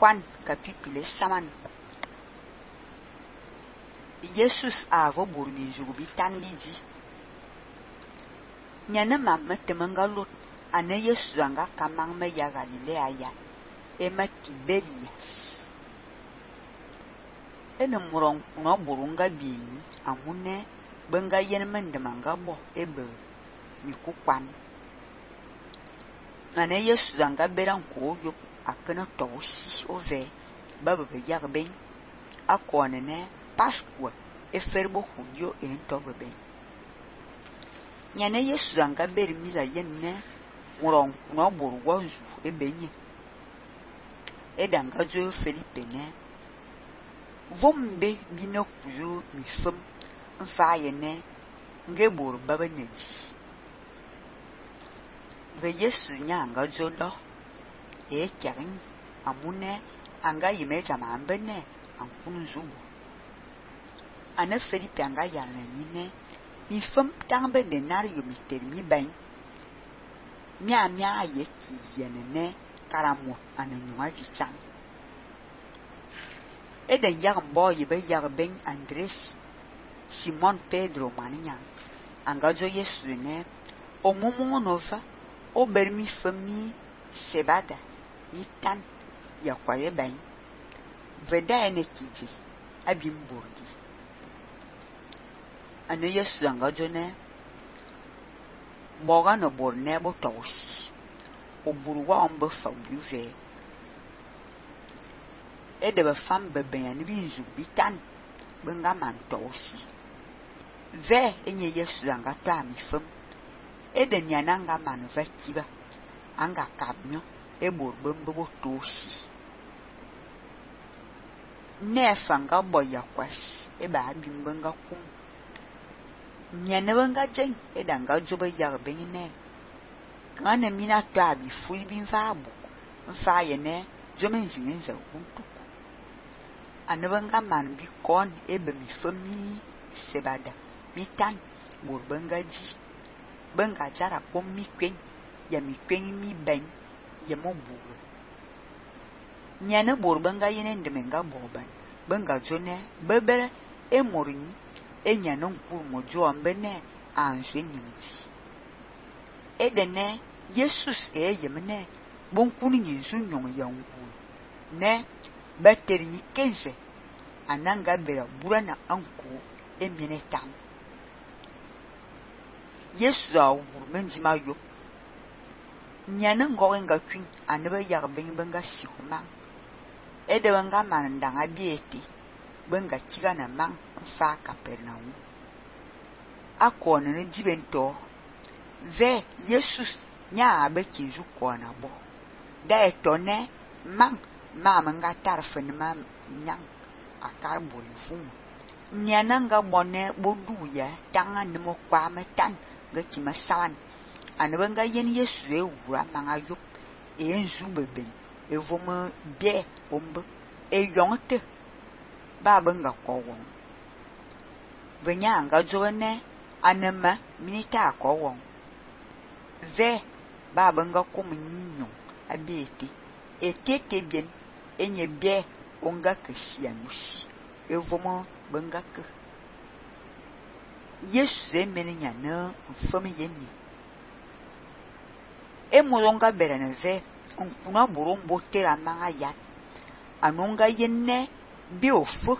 kwan kapitule saman. Jesus avo burbi jugu bitan biji. Nyane mam temenga lot ane Jesus anga kamang me ya Galilea ya ema Tiberias. Ene murong no burunga bini amune benga yen mendemanga bo ebe mikukwan. Ane Jesus anga beran ko yo akena tosi ove baba be yarben akone ne Pascua eferbo hudio entobebe. Nyane Jesus anga beri miza yenne murong no burwanzu ebenye. Edanga zo Felipe ne vombe bino kuyo mifem mfaye ne ngebor baba neji. Ve Yesu nyanga zo do kyang amune anga yimeja mambene ankunu zubo. Ane Felipe anga yana nyine mifem tangbe denario mitermi ben mia ye ki yenene karamo ananywa jichang. Eden yagn boy be yagben Andres Simon Pedro maninya anga zo Yesu ne omumu nova obermi fami sebada yitan yakwaye ben veda ene kiji abimborgi. Ane Yesu anga zo ne boga no borne bo tosi oburwa ombe fabuve ede be fam beben ya ni binzu bitan benga man tosi ve enye Yesu anga to amifem ede nyananga man vakiba anga kabnyo ebor bembe bo tosi nefanga boya kwas eba abimbenga kum nyane benga jen edanga jobe yarben ne kana mina to abi fulbin fabu mfaye ne jomen zinenza kuntuku anabanga man bi kon ebe mi fami sebada mitan borbenga ji benga jara pom mi kwen ya mi kwen mi ben ya mobuga nyane borbenga yene ndemenga boban benga jone bebere emorini enyane nkuru mojo ambene anjwe nyinji edene Jesus yemne bonkunu nyinzu nyong yangu ne bateri kenze ananga bera burana anko emine tam. Yesu awur menjima yo nyane ngorenga kwin anebe yarben benga sikuma ede benga manandanga bieti benga kiga na man fa Kapernaum akone ne dibento ve Jesus nya abe kinju kona bo da etone man manga tarfen ma nyang akar bolifun nyananga bonne bodu ya tanga nimo kwa metan gachi masawan anbenga yen Yesu ewura manga yup enzu beben evomo bie ombe eyonte ba benga kowon venya anga joene anema minita kowon ve ba benga komunyo abieti etete bien enye bie onga kesianusi evomo benga ke Yesu emenya na mfami yenni emolonga berene ve onkuna borombo tera manga ya anonga yenne biofo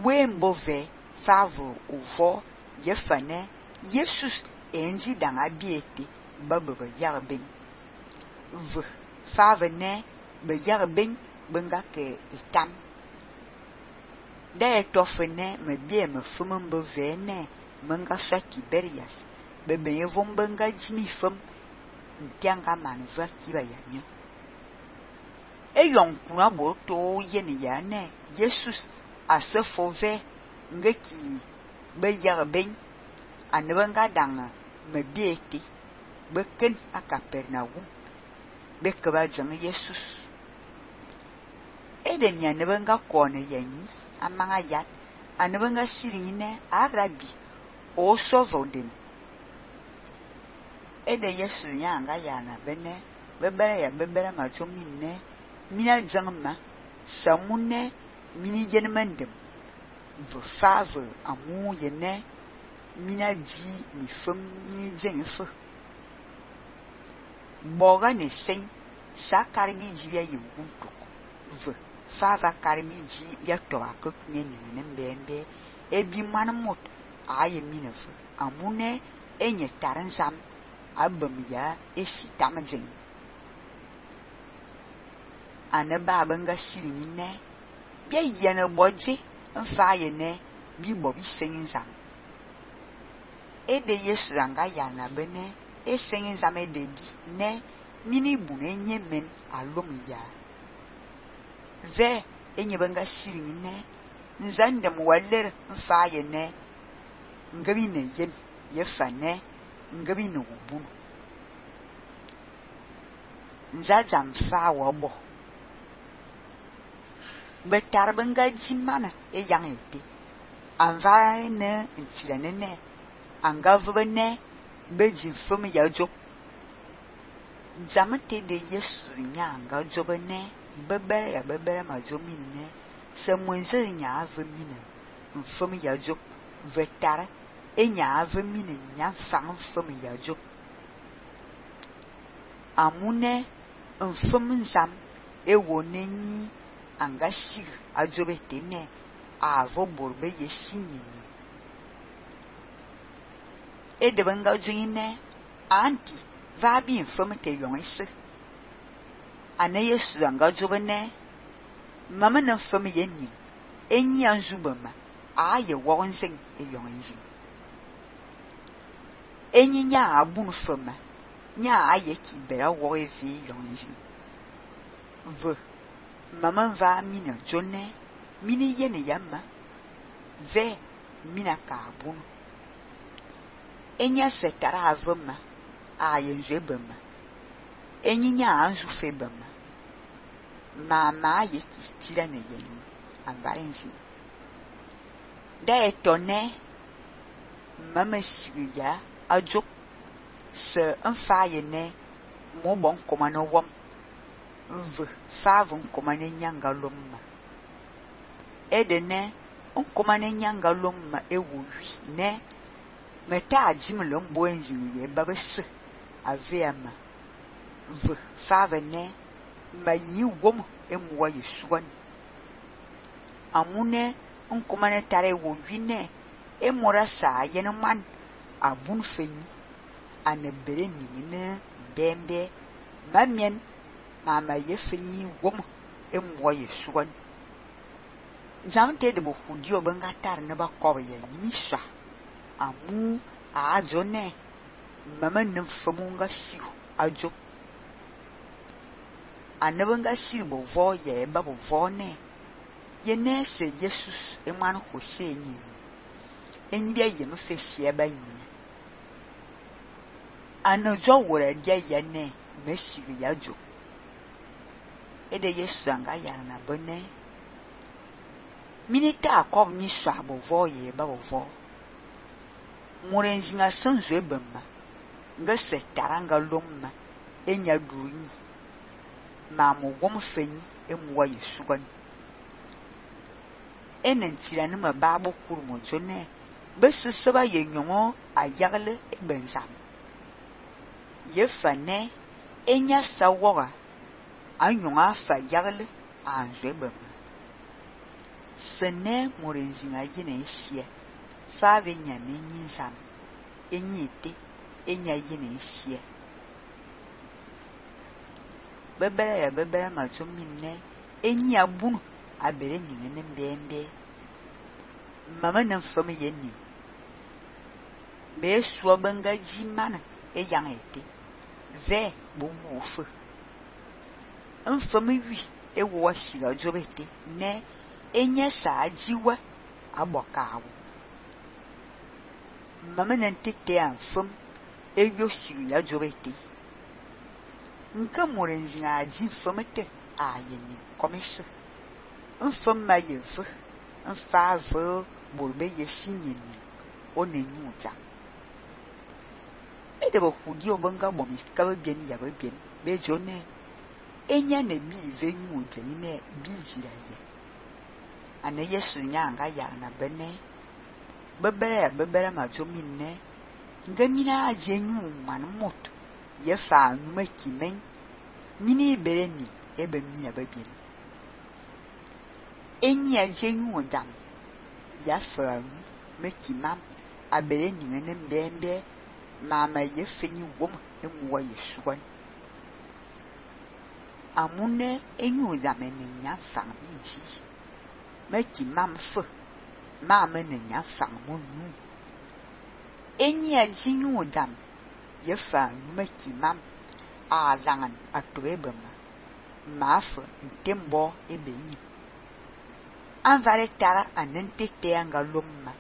wembo ve favo uvo yefane Jesus enji danga bieti bababa yarben v favene be yarben benga ke itam de tofene me bie me fumumbo vene menga sa Tiberias bebe yevon benga jimi fum ntianga manva kiba yanyo eyon kuna bo to yene yane Jesus asefo ve ngeki be yarben anbenga danga me bieti beken a Kapernaum bekaba jang Jesus eden ya nebenga kone yanyi amanga yat anebenga sirine arabi o sovodem ede Yesu nyanga yana bene bebere ya bebere ma chominne mina jangma samune mini yenmendem ve fave amu yene mina di mi fem ni jenfe boga ne sen sa karbi jibia yuguntuk ve fava karbi ji bia to akok ne ni mbembe ebi manmot aye minefe amune enye taransam abam ya esi tamjen ane babanga silini ne bia yene boje mfa ye ne bi bo bi seninzam ede yesu anga yana bene eseninzam ede di ne mini bune nye men alum ya ve enye banga silini ne nzandem waller mfa ye ne ngabi ne yen ye fane ngabi ne ubun nzazam fa wabo betar banga jimana e yang ete anva ne ntilane ne anga vbene beji fom ya jo zamate de yesu nya anga jo bene bebere ma jo minne se mwenze nya avmine mfom ya jo vetar enya avmine nya fang fom ya jo amune mfom nzam ewo nenyi anga sig ajobete ne avo borbe yesinyi ede banga jine anti va bi mfom te yonse ane yesu anga jobene mama na mfom yenni enyi anzubama aye wonsen e yonzi enyi nya abun foma nya aye ki bera wo evi yonzi ve mama va mina jonne mini yene yamma ve mina kabun enya setara avama aye njebama enyinya anzu febama mama aye ki tira ne yeni ambarenzi da etone mama siya ajo se mfaye ne mo bon komano wom v favon komane nyanga lomma edene on komane nyanga lomma ewuwi ne meta ajimlo mbo enjini ye babese aveama v favene mayi wom emwa yesuwan amune on komane tare wo wine emora sa yene man abun feni anebere ni bembe mamien mama yefeni wom emwa yesuwan zamte de bo hudio banga tar ne ba ko ye yimisa amu ajone mama nem famunga siu ajo anabanga sibo vo ye babo vo ne ye nese Jesus eman hoseni enyi bia ye mfesie ba nyi anojo wora dia ye ne mesiri yajo ede Yesu anga yana na bone minita akob ni swabo vo ye babo vo murenzinga sanzo ebema nga setaranga lomma enya duyi mamu gomfenyi emwa yesugan enentira nima babo kurmo jone beseseba yenyongo ayagle ebenzam yefane enya sawoga anyonga fa yagle anjebema sene murenzinga yine isia fave nyame nyinsam enyite enya yine isia bebere ma jomine enyi abunu abere nyine mbembe mama na mfam yenni be so banga jimana e yangete ve bubufu mfam wi e wo siga jobete ne enya sa ajiwa abokawo mama na ntete amfam e yo siga jobete nka murenzi aji mfamete ayeni komiso mfam ma yefu mfavo bolbe yesinyeni onenyuza edebo hudi obanga bomi kaba bien ya bien be jone enya ne bi venyu ne bi ziraye ane Yesu nyanga yar na bene bebere ma jominne ngamina ajenyu man mot ye fa nyuma kimen mini bereni ebe mina babien enyi ajenyu dam ya fa mekimam abere nyene mbembe mama ye fenyi wom emwa Yesuan amune enyu dam enya fang biji mekimam fe mama nenya fang monu enyi ajenyu dam ye fa mekimam a langan atoebema mafe ntembo ebenyi anvale tara anentete angalomma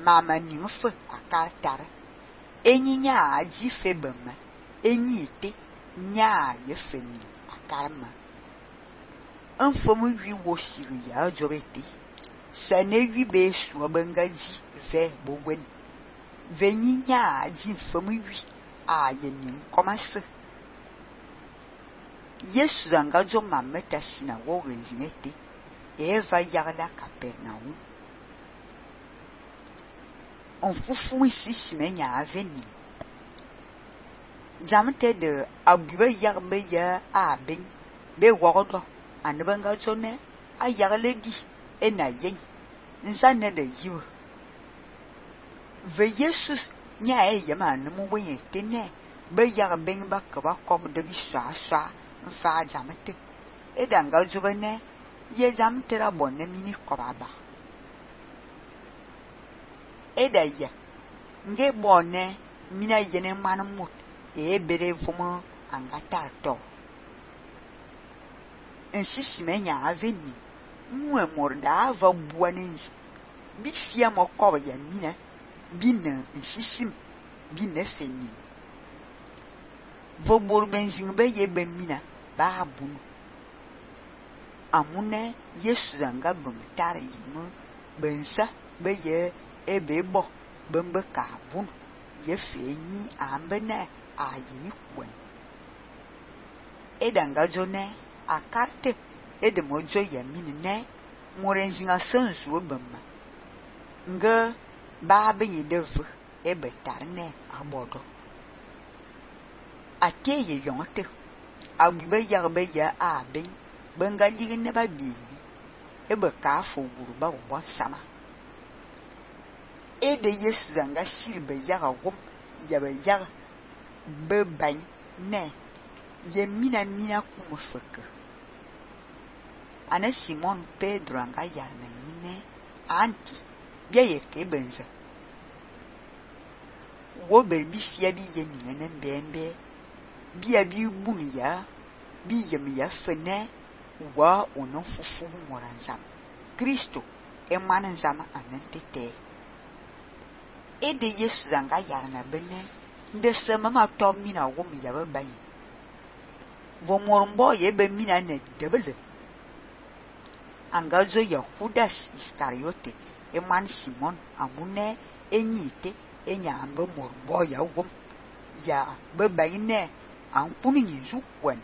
mama nyufe akar tara enyi nya aji febema enyi te nya ye feni akarma enfomu wi wosiri ya jorete sane wi be suwa bangaji ve bogwen venyi nya aji fomu wi a yenin komase Yesu zangajo mameta sina wo renzinete Eva yagla Capernaum on fufu isi menya aveni jamte de abuba yagbe ya aben be wogodo anbanga jone ayagle di enayen nzane de yiwo ve Jesus nya yama nmu wenye tene be yagben ba ka ba kom de bi swa mfa jamte edanga jobene ye jamtera bonne mini koraba edaya nge bonne mina yene manmut bere fumo angatar to ensisi menya aveni mwe morda ava buanenzi bifia mokoba ya mina bina nsisim bina feni vobor benzin be ye be mina ba bunu amune Yesu zanga bumtare yimu bensa beye ebebo bembe kabun ye fenyi ambene ayini kwen edanga jone akarte edemojo yaminne morenzinga sanzu obama nga ba benyi devu ebetarne abodo ateye yonte agbe yarbe ya aben bengali ne ba bi ebe ka fo guru ba wo sama ede Yesu zanga silbe yaga wom yabe yaga be ban ne ye mina kuma feke ana Simon Pedro anga yana nyine anti bia ye ke benza wo be bi fia bi ye nyine mbembe bia bi bunu ya bi yemi ya fene wa ono fufu moranzam Kristo emanzama anentete ede Yesu zanga yarna bene nde sema ma to mina wo mi yabe bayi vo mormbo ye be mina ne debele angazo ya Judas Iskariote eman Simon amune enyite enyambe mormbo ya wo ya be bayi ne ampuni nyizu kwen